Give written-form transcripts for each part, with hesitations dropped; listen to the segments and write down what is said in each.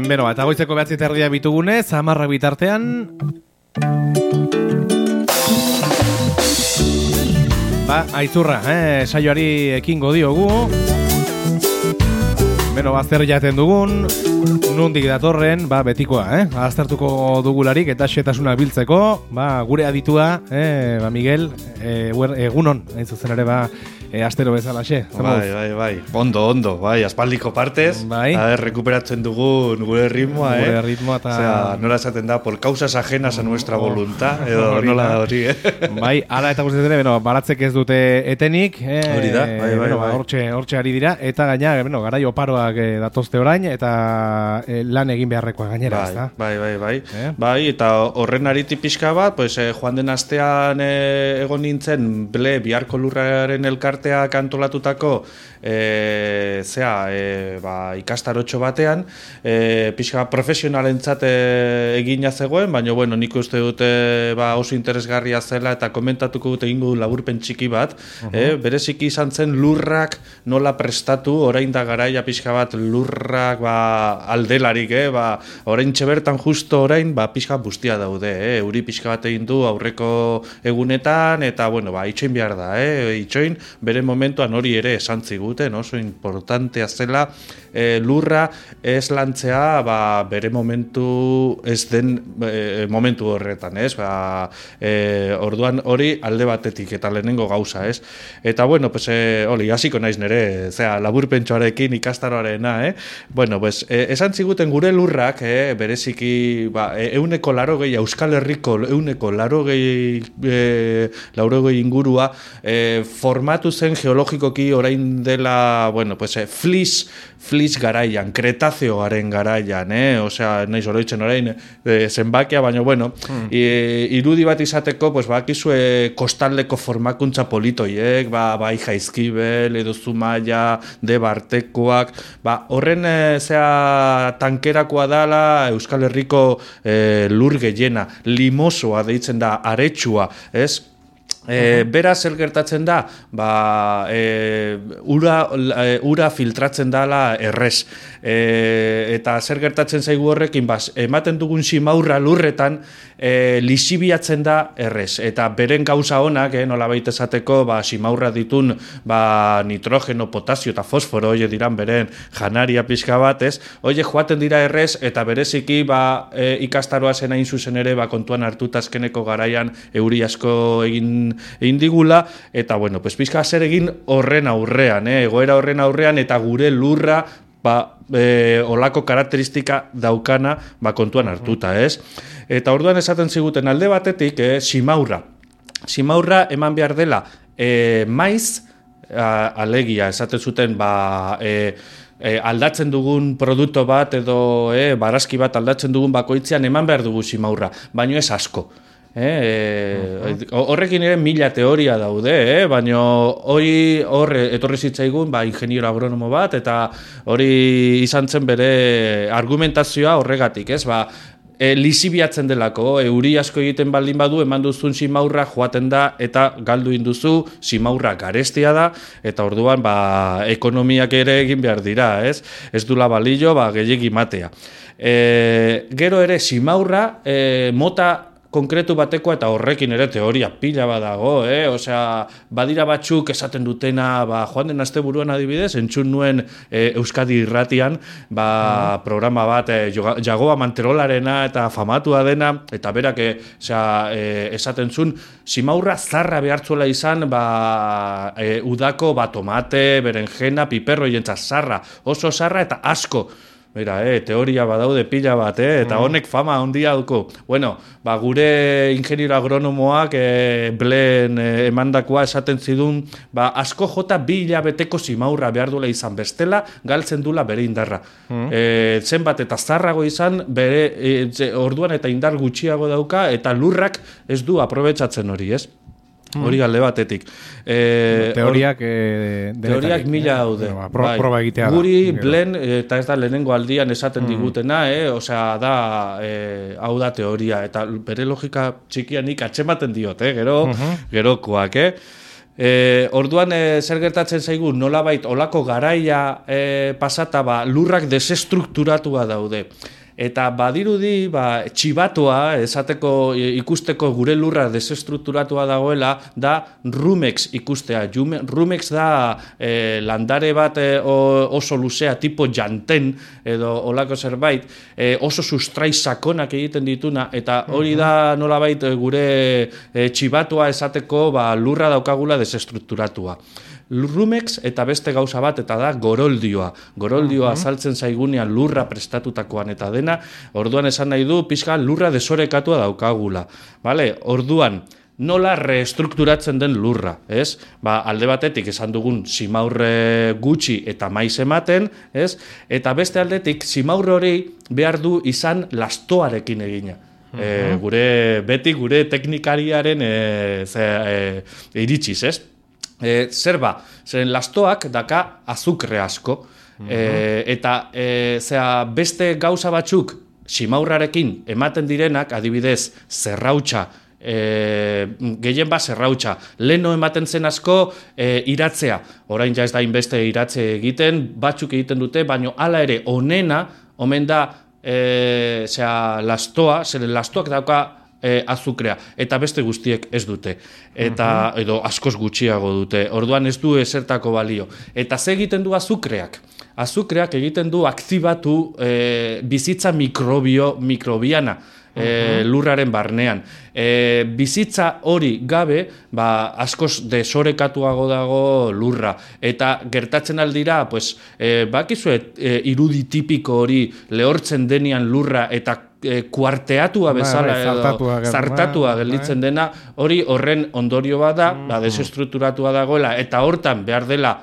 Beno, eta goizeko 9:30 bitugunez, 10 bitartean... Aizurra, saioari ekingo diogu. Beno, zer jaten dugun, nondik datorren, betikoa, aztertuko dugularik eta xetasunak biltzeko, gure aditua, Miguel, egunon, hain zuzen ere, astero bezalaxe. Bai, ondo, aspaldiko partez, recuperatzen dugun gure ritmoa, Gure ritmoa, eta... Osea, nola esaten da, por causas ajenas a nuestra voluntad, edo nola da hori, Bai, ala eta guztiz ere, baratzek ez dute etenik, hori da, bai. Hortxe ari dira, eta gaina, garai oparoak datozte orain, eta lan egin beharrekoa gainera, ez da? Bai. Bai, eta horren ariti pixka bat, joan den astean egon nintzen, biharko lurraren elkarteak antolatutako ikastarotxo batean, pixka profesionalentzat egina zegoen, baina bueno, nik uste dute oso interesgarria zela eta komentatuko dute egingo laburpen txiki bat, bereziki izan zen lurrak nola prestatu, orain da garaia pixka bat lurrak aldelarik, orain txebertan justo orain pixka bustia daude, euri pixka bat egin du aurreko egunetan, eta bueno, itxoin behar da, itxoin bere momentuan hori ere esan ziguten, oso importantea zela lurra ez lantzea bere momentu ez den momentu horretan, ez? Orduan hori alde batetik eta lehenengo gauza, ez? Eta bueno, hori, hasiko naiz nere, laburpentsoarekin ikastaroarena, Bueno, esan ziguten gure lurrak, bereziki, 180, Euskal Herriko 180 ingurua, formatu zen geologikoki orain dela, bueno, flis garaian, kretatzeoaren garaian, osea, naiz oroitzen orain zenbakia, baina, bueno, irudi bat izateko, bakizue kostaldeko formakuntza politoiek, bai Jaizkibel, edo Zumaia, Debartekoak, horren tankerakoa dala Euskal Herriko lur gehiena, limosoa deitzen da, aretsua, ez? Beraz, zer gertatzen da, ura filtratzen dala errez. Eta zer gertatzen zaigu horrekin, ematen dugun simaurra lurretan, lisibiatzen da errez. Eta beren gauza honak, nola baita esateko, simaurra ditun nitrogeno, potasio eta fosforo, oie diran beren janaria pixka batez, oie joaten dira errez, eta bereziki ikastaroa zen hain zuzen ere, kontuan hartuta azkeneko garaian euri asko egin digula, eta bueno, pixka zer egin horren aurrean, egoera horren aurrean, eta gure lurra olako karakteristika daukana kontuan hartuta, ez? Eta orduan esaten ziguten alde batetik, simaurra eman behar dela maiz, alegia, esaten zuten, aldatzen dugun produktu bat edo barazki bat aldatzen dugun bakoitzean eman behar dugu simaurra, baino ez asko. Horrekin ere 1000 teoria daude, baina hori etorri zitzaigun ingeniero agronomo bat, eta hori izan zen bere argumentazioa horregatik, ez? Lisibiatzen delako, euri asko egiten baldin badu, eman duzun simaurra joaten da, eta galdu induzu, simaurra garestia da, eta orduan ekonomiak ere egin behar dira, ez? Ez dula balillo, gehiegi matea. Gero ere, simaurra mota konkretu batekoa, eta horrekin ere teoria pila badago, osea, badira batzuk esaten dutena, joan den asteburuan adibidez, entzun nuen Euskadi Irratian, programa bat, Jagoa Manterolarena eta famatua dena, eta berak esaten zuen, simaurra zarra behartzuela izan, udako tomate, berenjena, piperro jentzat zarra, oso zarra eta asko. Mira, teoria badaude pila bat, eta honek fama handia duko. Bueno, gure ingeniero agronomoak bleen emandakoa esaten zidun, asko jota 2 hilabeteko simaurra behar duela izan, bestela galtzen dula bere indarra. Zenbat eta zarrago izan, bere orduan eta indar gutxiago dauka, eta lurrak ez du aprobetxatzen hori, ez? Hori alde batetik. Teoriak 1000 daude. Proba egitea da. Guri blen, eta ez da lehenengo aldian esaten digutena, osea, hau da teoria, eta bere logika txikianik atzematen diot, gerokoak, Orduan zer gertatzen zaigu, nolabait olako garaia pasata lurrak desestrukturatua daude. Eta badirudi, txibatua, esateko ikusteko gure lurra desestrukturatua dagoela, da rumex ikustea. Rumex da landare bat oso luzea, tipo janten, edo olako zerbait, oso sustrai sakonak egiten dituna, eta hori da nolabait gure txibatua esateko lurra daukagula desestrukturatua. Rumex eta beste gauza bat eta da goroldioa. Goroldioa azaltzen zaigunean lurra prestatutakoan eta dena, orduan esan nahi du pixka lurra desorekatua daukagula. Vale? Orduan, nola reestrukturatzen den lurra, ez? Alde batetik esan dugun simaurre gutxi eta maiz ematen, ez? Eta beste aldetik simaurre hori behar du izan lastoarekin egina. Beti gure teknikariaren iritsiz, ez? Zeren lastoak daka azukre asko, eta beste gauza batzuk simaurrarekin ematen direnak, adibidez, zerrautxa, gehien zerrautxa, leno ematen zen asko iratzea, orain ja ez da inbeste iratze egiten, batzuk egiten dute, baino hala ere onena, omen da lastoa, zeren lastoak dauka azukrea, eta beste guztiek ez dute, eta edo askoz gutxiago dute, orduan ez du ezertako balio. Eta ze egiten du azukreak? Azukreak egiten du aktibatu bizitza mikrobiana lurraren barnean. Bizitza hori gabe, askoz desorekatuago dago lurra, eta gertatzen aldira, bakizue irudi tipiko hori lehortzen denian lurra eta kuarteatua bezala zartatua gelditzen dena, hori horren ondorio bada, desestrukturatua dagoela, eta hortan behar dela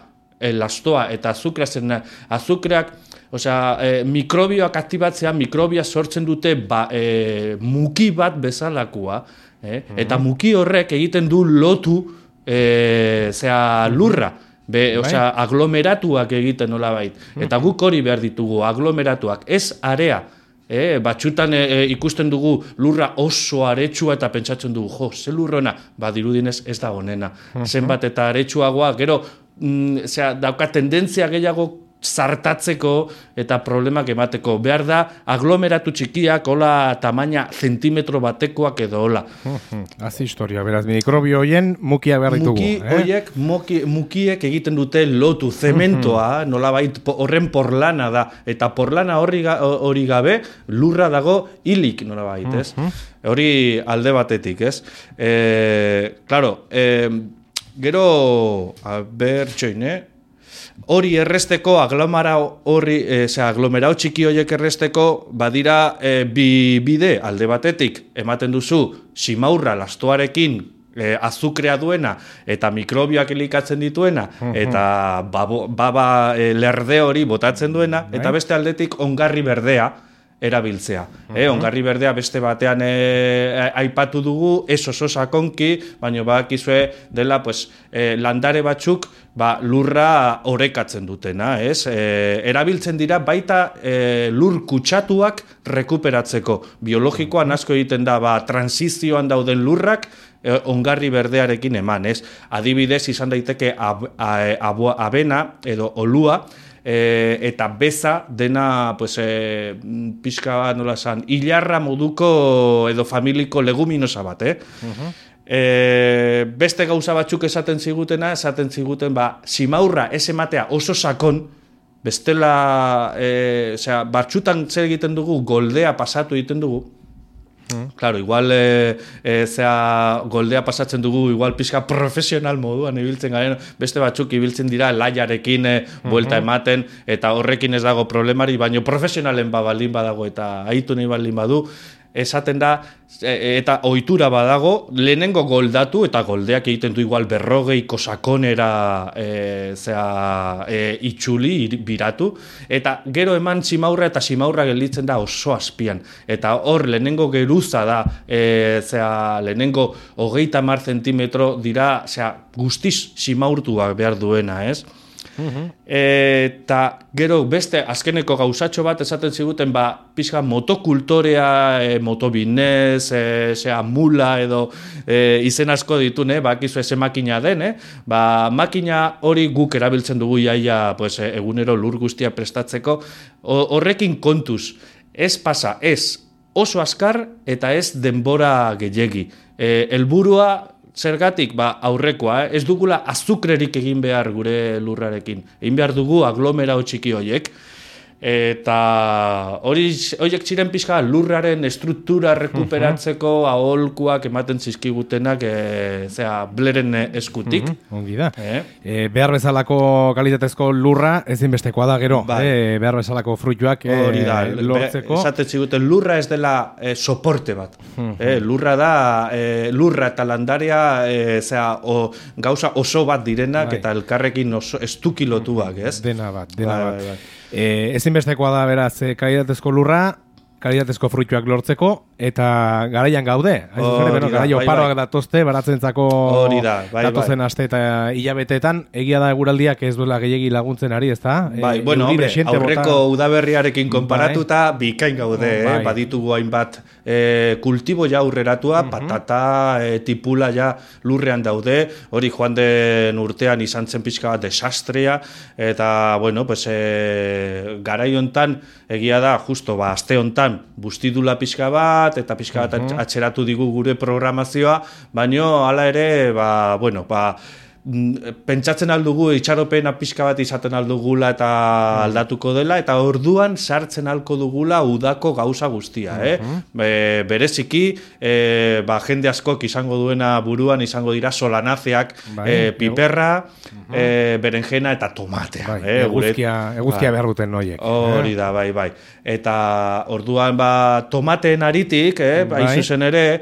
lastoa eta azukrea zen azukreak, mikrobioak aktibatzea, mikrobia sortzen dute muki bat bezalakoa, eta muki horrek egiten du lotu lurra, aglomeratuak egiten nolabait, eta guk hori behar ditugu, aglomeratuak, ez area. Batxutan ikusten dugu lurra oso aretsua eta pentsatzen dugu, ze lurrona, dirudinez ez da honena. Zenbat eta aretsuagoa, gero dauka tendentzia gehiago zartatzeko eta problemak emateko. Behar da aglomeratu txikiak, hola tamaina zentimetro batekoak edo hola. Hazi historia, beraz, mikrobio horien mukiak behar ditugu. Mukiek egiten dute lotu, zementoa, nolabait horren porlana da, eta porlana hori gabe lurra dago hilik nolabait, ez? Hori alde batetik, ez? Claro, gero, hori erresteko, aglomerau txiki horiek erresteko, badira bi bide, alde batetik, ematen duzu, simaurra lastoarekin azukrea duena, eta mikrobioak elikatzen dituena, eta lerde hori botatzen duena, eta beste aldetik ongarri berdea, erabiltzea. Ongarri berdea beste batean aipatu dugu, ez oso sakonki, baina bakizue dela landare batzuk lurra orekatzen dutena. Erabiltzen dira baita lur kutsatuak rekuperatzeko. Biologikoan asko egiten da, transizioan dauden lurrak ongarri berdearekin eman. Adibidez izan daiteke abena edo olua, eta beza dena pixka bat nola esan, hilarra moduko edo familiko leguminosa bat, beste gauza batzuk esaten ziguten simaurra ez ematea oso sakon, bestela batzutan zer egiten dugu, goldea pasatu egiten dugu. Claro, igual goldea pasatzen dugu, igual pixka profesional moduan ibiltzen garen, beste batzuk ibiltzen dira laiarekin buelta ematen, eta horrekin ez dago problemari, baina profesionalen baldin badago eta aitu nahi baldin badu, esaten da, eta ohitura badago, lehenengo goldatu, eta goldeak egiten du igual 40 sakonera itxuli, biratu, eta gero eman simaurra, eta simaurra gelditzen da oso azpian, eta hor lehenengo geruza da, lehenengo 30 zentimetro dira, guztiz simaurtuak behar duena, ez? Eta gero beste azkeneko gauzatxo bat esaten ziguten pixka motokultorea, motobinez, mula edo izen asko ditune, bakizu eze makina den, makina hori guk erabiltzen dugu jaia pues, egunero lur guztia prestatzeko, horrekin kontuz, ez pasa, ez oso azkar eta ez denbora gehiegi. Helburua zergatik, aurrekoa, ez dugula azukrerik egin behar gure lurrarekin. Egin behar dugu aglomerao txiki horiek. Eta horiek ziren pixka lurraren estruktura rekuperatzeko aholkuak ematen zizkigutenak bleren eskutik. Ongi da. Behar bezalako kalitatezko lurra ezinbestekoa da gero. Behar bezalako fruituak lortzeko. Esaten ziguten lurra ez dela soporte bat. Lurra da, lurra eta landaria gauza oso bat direnak eta elkarrekin estuki lotuak, ez? Dena bat. Ezinbestekoa da beraz kalitatezko lurra, kalitatezko fruituak lortzeko eta garaian gaude. Garai oparoak datozte baratzentzako datozen aste eta hilabeteetan, egia da eguraldiak ez duela gehiegi laguntzen ari, ezta? Aurreko udaberriarekin konparatuta bikain gaude, baditugu hainbat kultibo ja aurreratua, patata, tipula ja lurrean daude, hori joan den urtean izan zen pixka bat desastrea, eta garai hontan egia da, justo aste hontan bustidula pixka bat, eta pixka bat atxeratu digu gure programazioa, baino hala ere, pentsatzen aldugu itxaropena pixka bat izaten aldugula eta aldatuko dela, eta orduan sartzen alko dugula udako gauza guztia. Bereziki, jende askok izango duena buruan izango dira solanazeak, piperra, berenjena eta tomatea. Eguzkia behar duten noiek. Hori da, bai. Eta orduan tomateen aritik, zuzen ere,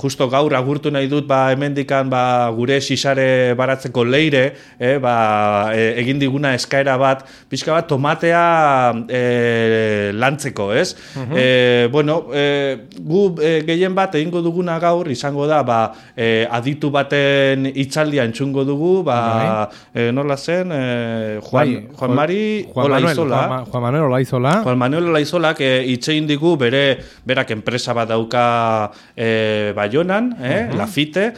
justo gaur agurtu nahi dut hemendikan gure sisare baratzeko leire, egin diguna eskaera bat, pixka bat tomatea lantzeko, ez? Gu gehien bat egingo duguna gaur, izango da, aditu baten hitzaldia entzungo dugu, nola zen, Juan Manuel Olaizolak hitzein digu berak enpresa bat dauka Baionan, Lafite,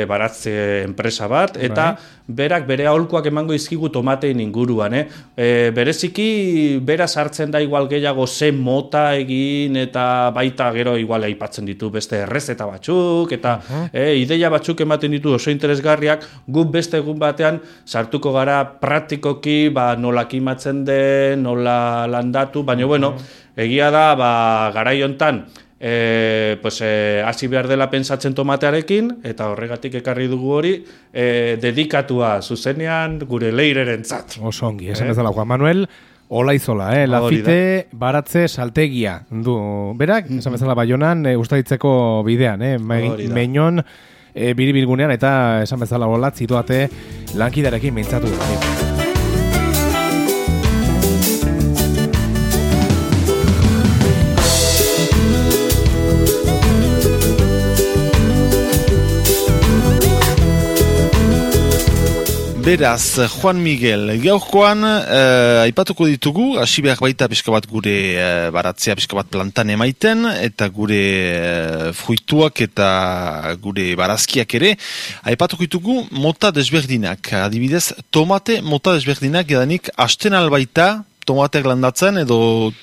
baratze enpresa bat, eta berak bere aholkuak emango izkigu tomatein inguruan. Bereziki, bera sartzen da igual gehiago ze mota egin, eta baita gero igual aipatzen ditu beste errezeta batzuk, eta ideia batzuk ematen ditu oso interesgarriak, guk beste egun batean sartuko gara praktikoki, nola kimatzen den, nola landatu, baina egia da, garai hontan, hasi behar dela pentsatzen tomatearekin, eta horregatik ekarri dugu hori, dedikatua zuzenean gure leirerentzat. Oso ongi, esan ez dela Juan Manuel Olaizola, Lafite baratze saltegia du. Berak, esan bezala Baionan, ustaritzeko bidean, Meñon biribilgunean, eta esan bezala holat zituate lankidarekin mintzatu da. Beraz, Juan Miguel, gaurkoan aipatuko ditugu, hasi behar baita pixka bat gure baratzea pixka bat plantan emaiten, eta gure fruituak eta gure barazkiak ere, aipatuko ditugu mota desberdinak. Adibidez, tomate mota desberdinak edanik hasten albaita tomateak landatzen edo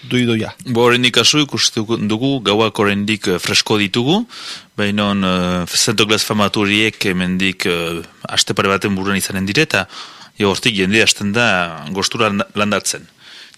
doidoia? Horrendik kasu ikusten dugu, gauak horrendik fresko ditugu, baina Zentoglas famaturiek emendik aste pare baten buruan izanen dire, eta hortik jende hasten da gostura landatzen.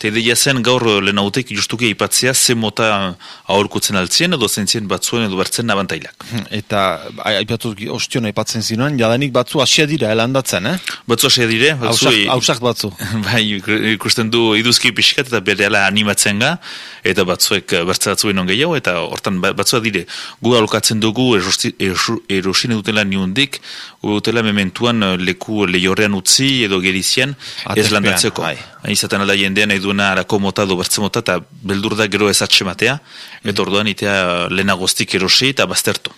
Eta ideia zen gaur lehenautek justuki aipatzea ze mota aurkutzen altzien edo zentzien batzuen edo bertzen abantailak. Eta aipatu ostion aipatzen zinuan, jadanik batzu asia dira landatzen, Batzu asia dire. Hausak batzu. Bai, ikusten du iduzki pixkat eta berehala animatzen ga, eta batzuek bertze batzuen on gehiago, eta hortan batzua dire. Gu alokatzen dugu erosine dutela niundik, dutela mementuan leku lehorrean utzi edo gerizian ez landatzeko. Izaten alda jendean nahi duena arako mota edo bertze mota eta beldur da gero ez atxematea, eta orduan itea lehenagoztik erosi eta baztertu.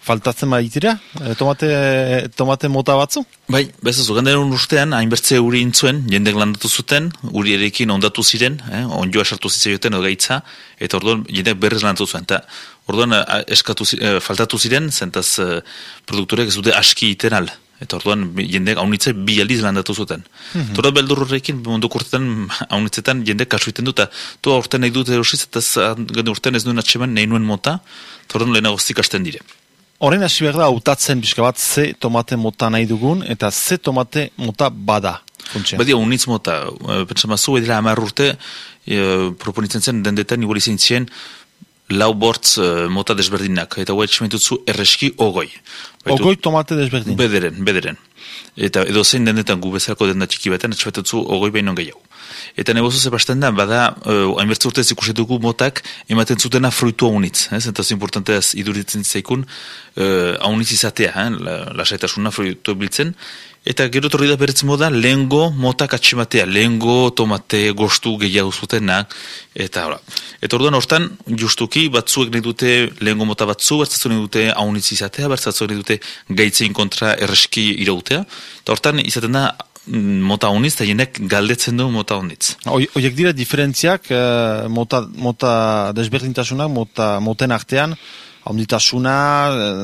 faltatzen baitira? Tomate mota batzu? Bai, bezazu, gandaren urtean, hainbertze uri intzuen, jendek landatu zuten, uri erekin ondatu ziren, onjoa sartu zitzaioten edo gaitza, eta orduan jendek berrez landatu zuen. Eta orduan faltatu ziren, zentaz produktorek ez dute aski iten al. Eta orduan jendek haunitze bi aldiz landatu zuten. Tora beldur horrekin, munduko urtetan, haunitzetan jendek kasu iten dut, toa urtean nahi dute erosiz, eta urtean ez duen atseman nahi nuen mota, eta orduan lehenago zikasten dire. Horrein hasi behar da, hautatzen pixka bat ze tomate mota nahi dugun, eta ze tomate mota bada. Badia, unitz mota, pentsamazu, edera 10 urte, proponitzen zen, dendetan igual izan zien, lau bortz mota desberdinak, eta guai tximentutzu erreski ogoi. Ogoi tomate desberdin? Bederen. Eta edo zein dendetan gu bezalako denda txiki baten, atxabatutzu ogoi behinon gehiago. Eta nebozu zepasten da, bada, hainbertze urtez ikusetuko motak ematen zutena fruitua unitz. Eta zu importanteaz iduritzen zaikun, haunitz izatea, lasaitasuna fruitua biltzen. Eta gero torri da beretz moda, lehengo motak atximatea, lehengo tomate gostu gehiago zutenak, eta hola. Eta orduan hortan, justuki, batzuek nahi dute lehengo mota batzu, bertzatzu nahi dute haunitz izatea, bertzatzu nahi dute gaitzein kontra erreski irautea, eta hortan izaten da, mota honitz, eta jenek galdetzen du mota honitz. Oiek dira diferentziak, mota desberdintasunak, moten artean, haunditasuna,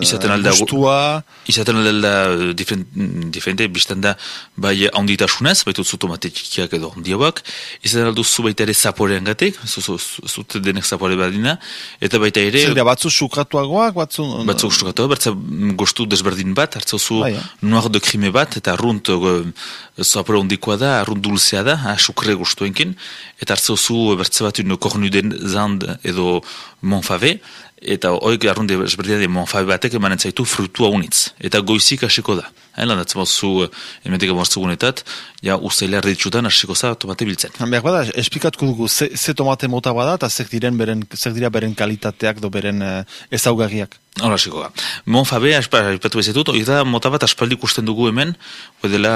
gustua... Izaten alda diferente, biztan da, bai haunditasunez, baitu zu tomate txikiak edo handiabak, izaten alduzu baita ere zaporean gatik, zute denek zapore badina, eta baita ere... Zer, batzu sukratuagoak, Batzu sukratuagoak, bertza gustu desberdin bat, hartzauzu noir de crime bat, eta arrunt zapore hondikoa da, arrunt dulzea da, sukre gustuenkin, eta hartzauzu bertza bat kornuden zand edo monfave, eta hoik arrunde ezberdina de monfabe batek emanen zaitu frutua unitz. Eta goizik hasiko da. Landatzen bazu emetik amortzugunetat, ja usteila erditsutan hasiko za tomate biltzen. Behar bada, esplikatuko dugu, ze tomate mota bada, eta zer dira beren kalitateak do beren ezaugarriak. Hora hasiko da. Monfabe, aipatu bezetut, hori da mota bat aspaldi ikusten dugu hemen, dela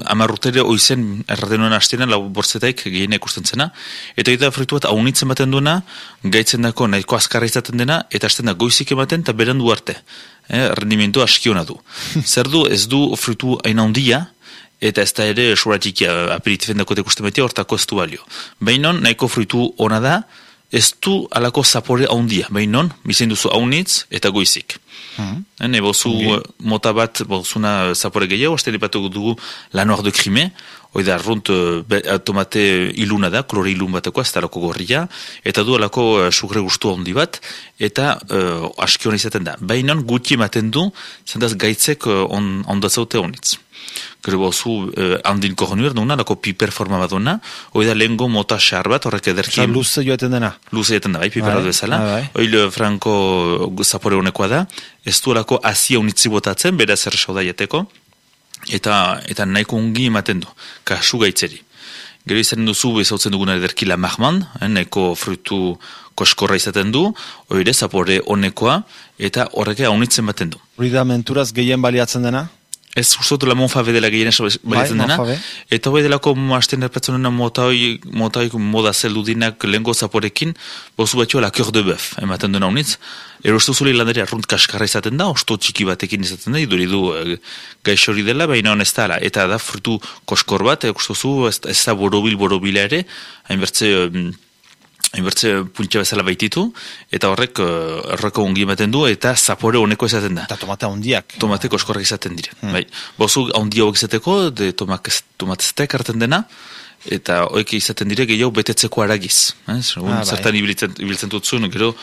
10 urtere oizen erratenuen hastenan, lau bortzetaik gehiena ikusten zena, eta hori da fruitu bat haunitzen baten duena, gaitzen dako nahiko azkarra izaten dena, eta hasten da goizik ematen eta berandu arte. Rendimendu askiona du. Zer du, ez du fruitu aina handia, eta ez da ere suratik aperitifen dako ikusten betia, hortako ez du balio. Bainon, nahiko fruitu ona da, ez du alako zapore handia. Bainon, bizain duzu haunitz eta goizik. Bozu mota bat, bozuna zapore gehiago, azte lipatu dugu la noir de crime, hoi da arrunt tomate iluna da, kolore ilun bateko, ez da alako gorria, eta du alako sugre gustu handi bat, eta aski hona izaten da. Bainon, guti ematen du, zendaz gaitzek ondatzaute honitz. Gero bozu handin kohonur duna, lako piper forma bat duna, hoi da lehengo mota xar bat, horrek ederkin... Luze joaten dena. Luze joaten da, bai, piper bat bezala. Hoi franko zapore honekoa da, ez du alako azia unitzi botatzen, bera zer sauda jateko, eta nahiko ungi ematen du, kasu gaitzeri. Gero izaten duzu, bezautzen duguna ederki la mahman, nahiko fruitu koskorra izaten du, hori zapore honekoa, eta horrek haunitzen baten du. Hori da menturaz gehien baliatzen dena? Ez ustotu la monfabe dela gehiena baliatzen dena, eta hoi delako hasten erpetzonena motaik moda zeldudinak lehengo zaporekin, bozu batxoa la cœur de bœuf, ematen dena unitz, erostu zule landari arrunt kaskarra izaten da, osto txiki batekin izaten da, iduridu gaixori dela, baina honez da, eta da frutu koskor bat, ekustozu, ez da borobila ere, hainbertze puntxa bezala baititu, eta horrek erroko ongi ematen du, eta zapore honeko izaten da. Eta tomate hondiak. Tomate koskorrak izaten dire. Bozu hondi hauek izateko, tomatestek hartzen dena, eta hoek izaten dire gehiago betetzeko aragiz. Zertan ibiltzen dutzun, gero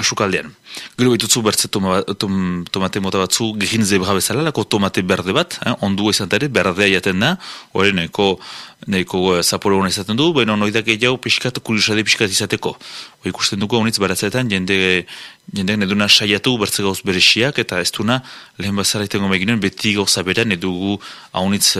sukaldean. Gero behitutzu bertze tomate mota batzu gehien zebra bezala, lako tomate berde bat, ondu izan ere, berdea jaten da, hori nahiko zapore hona izaten du, baina noidak gehiago pixkat, kurisade pixkat izateko. Hori ikusten dugu honitz baratzeetan, jendek neduna saiatu bertze gauz berexiak, eta ez duna lehen bazara itengo meginen, beti gauza beran edugu haunitz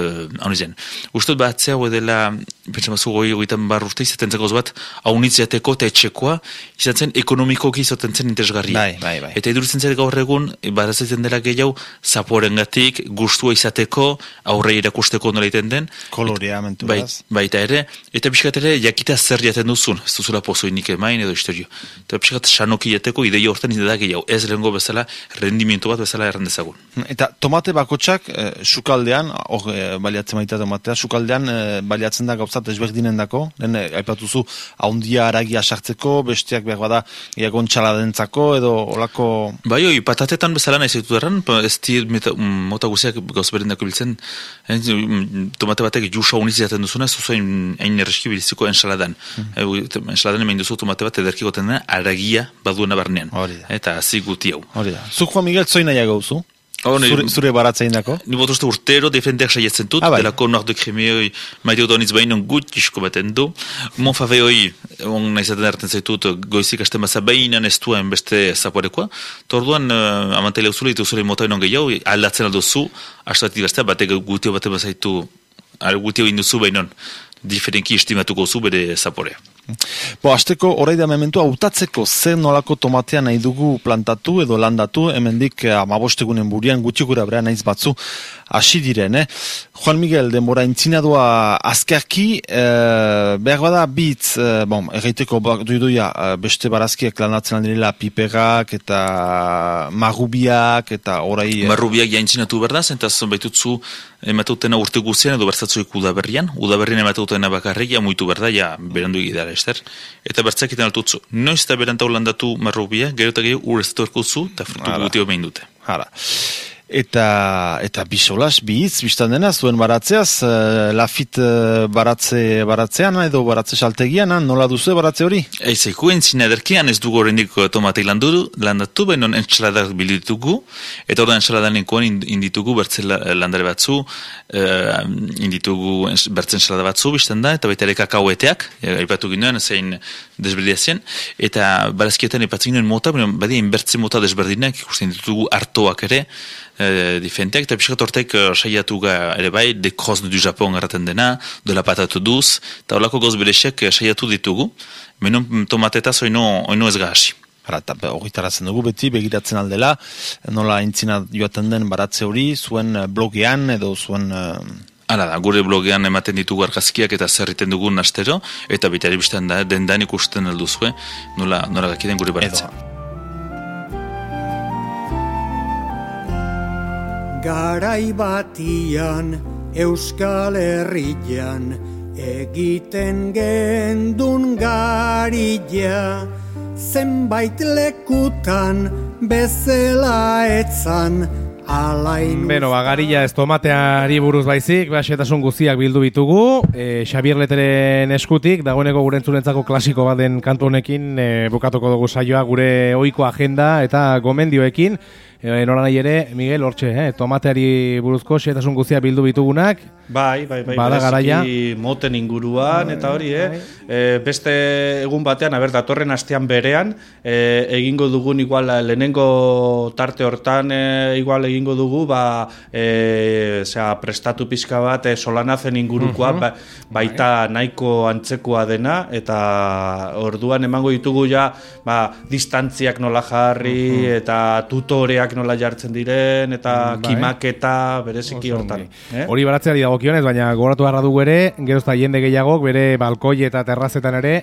zen. Ustot batzea edela, pentsamazu goitan urte izaten zen gauz bat, haunitz jateko eta etxekoa, izaten ekonomikoki izaten zen interesgarria. Bai. Eta iduritzen zer gaur egun, baratzen dela gehiago, zaporengatik, gustua izateko, aurre irakusteko nola iten den. Kolorea, mentu. Baita ere, eta pixkat ere jakita zer jaten duzun, ez duzula pozoinik emain edo historio. Eta pixkat sanoki jateko ideia hortan ideak gehiago, ez lehengo bezala, rendimiento bat bezala errandezagun. Eta tomate bakotsak, sukaldean, baliatzen baita tomatea, sukaldean baliatzen da gauzat ezberdinen dako, aipatuzu, haundia haragia sartzeko, besteak behar bada, gontxaladentzako edo olako... Bai, patatetan bezala nahi zaitu erran, ez mota guziak gauz berendako biltzen, tomate batek jusa uniz jaten duzuna, ez duzu hain erreski biliziko ensaladan. Ensaladan hemen duzu tomate bat ederki goten dena, haragia baduena barnean. Eta hazi guti hau. Zuk Juan Miguel zoina jagauzu? Zure baratzein dako? Ni botuzte urtero defendeak saietzen dut, delako Nord de Cremeoi maite doniz behinon gutxisko baten du. Monfaveoi, nahizaten erten zaitut, goizik hasten baza behinan ez duen beste zaporekoa. Torduan, amantele uzule, ditu zure mota enon gehiago, aldatzen alduzu, hastatik gaztea, batek gutio baten bazaitu, gutio induzu behinon, diferenki estimatuko zu bere zaporea. Azteko horrei da mementua, hautatzeko zer nolako tomatea nahi dugu plantatu edo landatu, hemendik 15 egunen burian gutxikura bera naiz batzu hasi diren. Juan Miguel, denbora intzinadua azkarki, behar bada bitz, erraiteko duiduia beste barazkiak landatzen aldirela piperak eta marrubiak eta orai... Marrubiak jaintzinatu berdaz, eta baitutzu ematutena urte guzien edo bertzatzuik udaberrian ematutena bakarrik, muitu berda, berandu egidara, ester? Eta bertzakiten altutzu. Noiz eta berantau landatu marrubia, gero eta gehiago ureztu erkutzu, eta frutu gutio behin dute. Eta bisolas, bihitz, biztan dena, zuen baratzeaz, lafit baratzean edo baratze saltegian, nola duzu baratze hori? Eizeku, entzina ederkian ez dugu horrendik tomatei landatu, behinon entzaladak bilitugu, eta orda entzaladan inditugu bertze landare batzu, inditugu bertzen entzalada batzu, biztan da, eta baita ere kakaueteak, aipatu ginoen, zein desberdiazien, eta barazkietan aipatzen ginoen mota, badia inbertze mota desberdinak, ikusten ditugu hartoak ere, diferenteak, eta pixkat hortek saiatu ere bai, de cross du Japon erraten dena, de la patate duz, eta horlako goz berexek saiatu ditugu, menon tomatetaz oino ez gahasi. Eta horritarazen dugu beti, begiratzen aldela, nola intzina joaten den baratze hori, zuen blogean edo zuen... Hala da, gure blogean ematen ditugu argazkiak eta zerriten dugun astero, eta bitari bizten da, dendan ikusten alduzue, nola gakiden gure baratzea. Garai batian Euskal Herrian egiten gendun garila, zenbait lekutan bezala etzan alainu. Beno, garila ez tomateari buruz baizik, xetasun guztiak bildu bitugu, Xabier Leteren eskutik, dagoeneko gure entzulentzako klasiko baden kantu honekin bukatuko dugu saioa gure ohiko agenda eta gomendioekin. Nola nahi ere, Miguel, hortxe, tomateari buruzko xetasun guztiak bildu bitugunak. Bai, bereziki moten inguruan, eta hori, beste egun batean, datorren astean berean, egingo dugun igual lehenengo tarte hortan igual egingo dugu, prestatu pixka bat solanazen ingurukoa, baita nahiko antzekoa dena, eta orduan emango ditugu ja, distantziak nola jarri, eta tutoreak nola jartzen diren, eta kimaketa bereziki hortan. Hori baratzeari dagokionez, baina gogoratu beharra dugu ere, gerozta jende gehiagok bere balkoi eta terrazetan ere,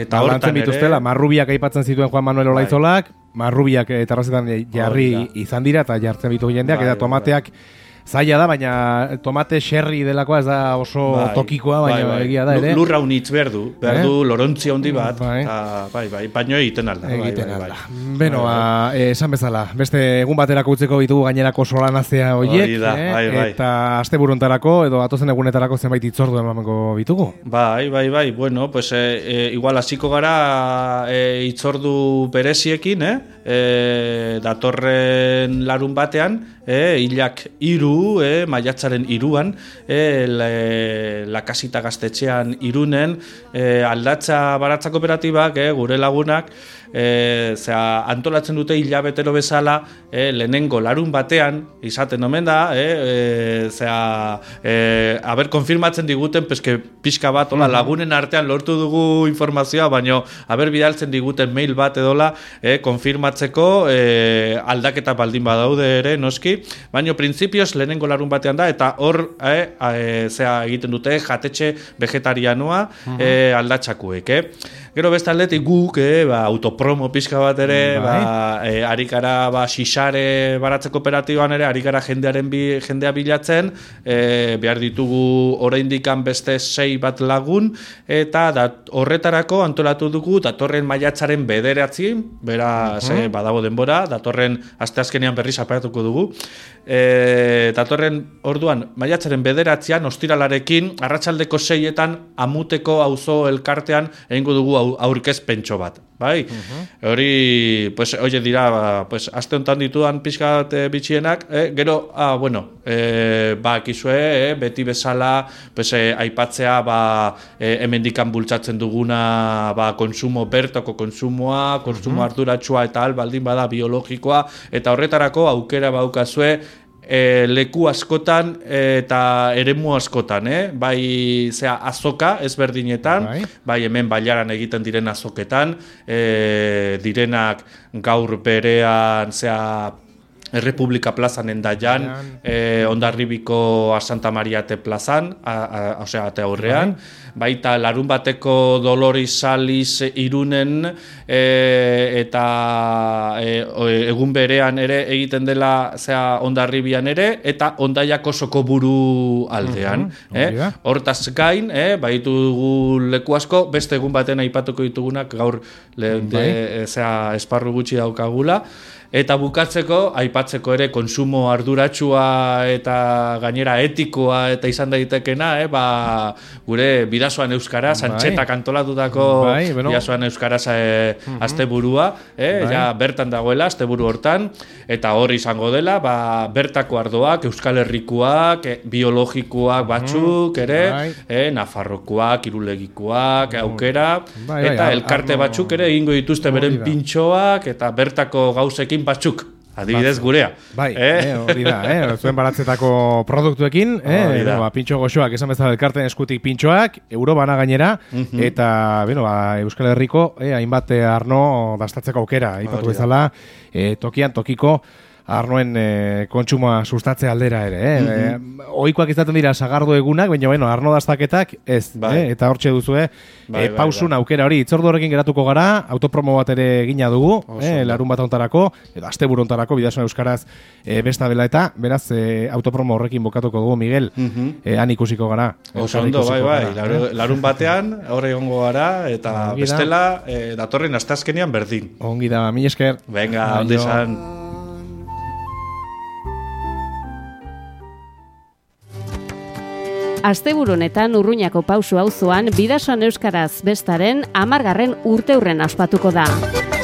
eta hortan bituztela, marrubiak aipatzen zituen Juan Manuel Olaizolak, marrubiak terrazetan jarri izan dira, eta jartzen bitu jendeak, eta tomateak zaila da, baina tomate xerri delakoa ez da oso tokikoa, baina egia da ere. Lurra unitz berdu lorontzi handi bat, baino egiten alda. Beno, esan bezala, beste egun baterako utzeko bitugu gainerako solanazea horiek, eta aste buruntarako edo atozen egunetarako zenbait itzordu emango bitugu. Bai, bueno, pues igual hasiko gara itzordu bereziekin, datorren larun batean, hilak 3, maiatzaren 3an, la kasita gaztetxean Irunen, aldatza baratza kooperatibak, gure lagunak, antolatzen dute hilabetero bezala, lehenengo larun batean, izaten omen da, konfirmatzen diguten, pixka bat, lagunen artean lortu dugu informazioa, baino, bidaltzen diguten mail bat edola, konfirmatzeko, aldaketa baldin badaude ere, noski, hori, baina printzipioz lehenengo larun batean da, eta hor zea egiten dute jatetxe vegetarianoa aldatxakuek, Gero beste aldetik guk, autopromo pixka bat ere, arikara xixare baratze kooperatiboan ere, arikara jendea bilatzen, behar ditugu oraindikan beste 6 bat lagun, eta horretarako antolatu dugu datorren maiatzaren 9, beraz badago denbora, datorren asteazkenean berriz apaiatuko dugu, datorren orduan maiatzaren 9 ostiralarekin, arratsaldeko 6etan Amuteko auzo elkartean egingo dugu aurkezpentxo bat, bai? Hori, pues, oie dira, pues, aste honetan ditudan pixkat bitxienak, gero, bakizue, beti bezala, pues, aipatzea, hemendikan bultzatzen duguna, konsumo bertoko konsumoa, konsumo arduratsua eta baldin bada biologikoa, eta horretarako aukera baukazue, leku askotan eta eremu askotan, bai azoka ezberdinetan, bai hemen bailaran egiten diren azoketan, direnak gaur berean Errepublika plazan endaian, Hondarribiko Santa Mariate plazan, ate aurrean, baita larun bateko Dolores Saliz Irunen, eta egun berean ere egiten dela Hondarribian ere, eta Hondaiako Sokoburu aldean. Hortaz gain, baitu dugu leku asko, beste egun baten aipatuko ditugunak gaur esparru gutxi daukagula, eta bukatzeko, aipatzeko ere konsumo arduratsua eta gainera etikoa eta izan daitekena, gure Bidasoan Euskaraz, Antxetak antolatutako Bidasoan Euskaraz asteburua, ja bertan dagoela, asteburu hortan, eta hor izango dela, bertako ardoak, Euskal Herrikoak, biologikoak batzuk ere, Nafarrokoak, Irulegikoak, aukera, eta elkarte batzuk ere egingo dituzte beren pintxoak, eta bertako gauzekin batzuk, adibidez gurea. Hori da, zuen baratzetako produktuekin, pintxo goxoak, esan bezala elkarten eskutik pintxoak, euro bana gainera, eta Euskal Herriko hainbat arno dastatzeko aukera, ipatu bezala, tokian tokiko arnoen kontsumoa sustatze aldera ere. Ohikoak izaten dira sagardo egunak, baina arno dastaketak ez, eta hortxe duzue pausun aukera hori. Itzordu horrekin geratuko gara, autopromo bat ere egina dugu, larun bat hontarako, edo asteburu hontarako, Bidasoan Euskaraz besta dela eta, beraz, autopromo horrekin bokatuko dugu, Miguel, han ikusiko gara. Oso ondo, larun batean, horre egongo gara, eta bestela, datorren asteazkenean berdin. Ongi da, mila esker. Venga, ondo izan. Asteburunetan Urruñako Pausu auzoan Bidasoan Euskaraz bestaren 10. urteurren ospatuko da.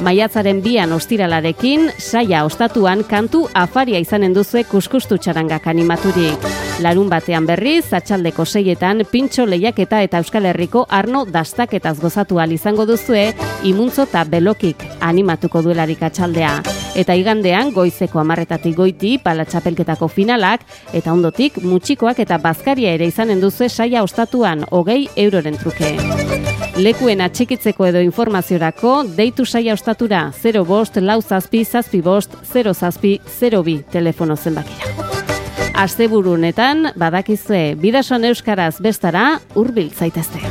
Maiatzaren 2 ostiralarekin, saia ostatuan kantu afaria izanen duzue kuskustu txarangak animaturik. Larun batean berriz, atxaldeko 6etan pintxo lehiaketa eta Euskal Herriko arno dastaketaz gozatu ahal izango duzue, imuntzo eta belokik animatuko duelarik atxaldea. Eta igandean, goizeko 10 goiti, palatxapelketako finalak, eta ondotik, mutxikoak eta bazkaria ere izanen duzue saia ostatuan 20 euroren truke. Lekuen atxikitzeko edo informaziorako, deitu saia ostatura 05 lau zazpi zazpi bost 0 zazpi 02 telefono zenbakira. Asteburunetan badakizue Bidasoan Euskaraz bestara hurbil zaitezte.